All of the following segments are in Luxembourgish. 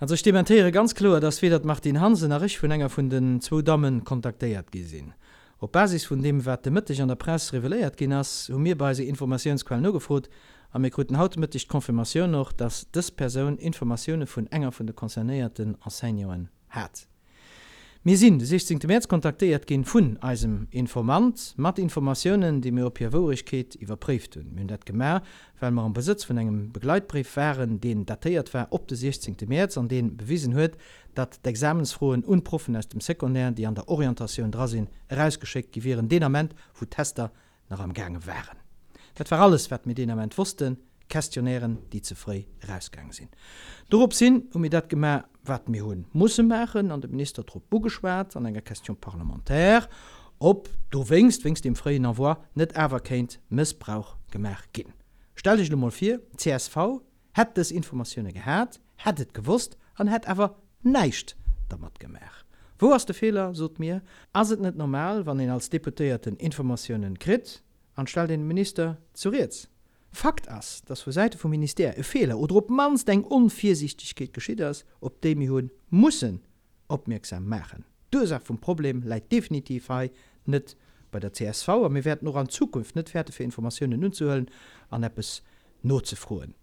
Also ech dementéiere ganz kloer, dass weder d'Martine Hansen nach ech vun enger vun den zwou Damme kontaktéiert gi sinn. Op Basis vun deem, wat de Mëtteg an der Press reveléiert ginn ass, hu mir bei eiser Informatiounsquell nogefrot a mir kruten haut de Mëtteg d'Confirmatioun och, dass dës Persoun Informatioune vun enger vun de concernéierten Enseignanten hat. Mir sinn de 16 Mäerz kontaktéiert ginn vun eisem Informant mat Informatiounen, déi mir op hir Wouregkeet iwwerpréift hunn. Mir hunn dat gemaach, well mer am Besëtz vun engem Begleitbréif waren, deen datéiert war op de 16 Mäerz an dee bewisen huet, datt d'Examensfroen un d'Proffen aus dem Secondaire, déi an der Orientatioun dra sinn, erausgeschéckt gi wieren, deen Ament, wou d'Tester nach am gaange waren. Dat war alles, wat mir deen Ament wossten, Questionnairen, déi ze fréi erausgaange sinn. Dorops hin hu mir dat gemaach, wat mir hu musse maachen, an de Minister drop ugeschwat an enger Question parlementaire, ob dowéinst, wéinst deem fréien Envoi, net awer kéint Mëssbrauch gemaach ginn. Stellt Iech elo mol vir, csv hätt dës Informatioune gehat, hätt et gewosst an hätt awer näischt dermat gemaach. Wou ass de Feeler, sot mir? Ass et net normal, wann een als Deputéierten Informatiounen kritt an stellt een de Minister zu Rieds? Fakt ass, dass vu Säite vum Ministère e Feeler oder op d'mannst eng Onvirsiichtegkeet geschitt ass, op déi mir hu mussen opmierksam maachen. D'Ursaach vum Problem läit definitiv hei net bei der csv a mir wäerten och an Zukunft net fäerte fir Informatiounen unzehuelen an eppes nozefroen.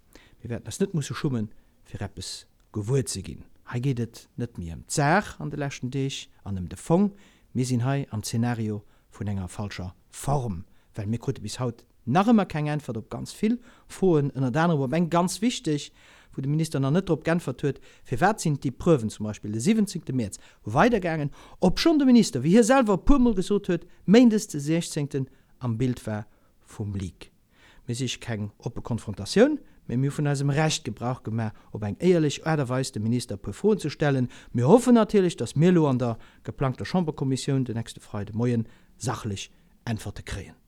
Mir wäerten eis net musse schummen, fir eppes gewuer ze ginn. Hei geet et net méi ëm d'Saach an de leschten Deeg an ëm de Fong. Mir sinn hei am Zeenario vun enger falscher Form, well mir krute bis haut nach ëmmer keng Äntwert op ganz vill Froen, ënnert anerem op eng ganz wichteg, wou de Minister nach net drop g'äntwert huet, Firwat sinn d'Epreuven zum Beispill de 17 Mäerz weidergaangen, obschonn de Minister, wéi hie selwer e puermol gesot huet, méindes de 16 am Bild war vum Leak? Mir siche keng oppe Konfrontatioun, mä mir hu vun eisem Recht Gebrauch gemaach, op eng éierlech Aart a Weis dem Minister e puer Froen ze stellen. Mir hoffen natierlech, datt mir elo an der geplangter Chamberkommissioun den nächste Freide Moien sachlech Äntwerte kréien.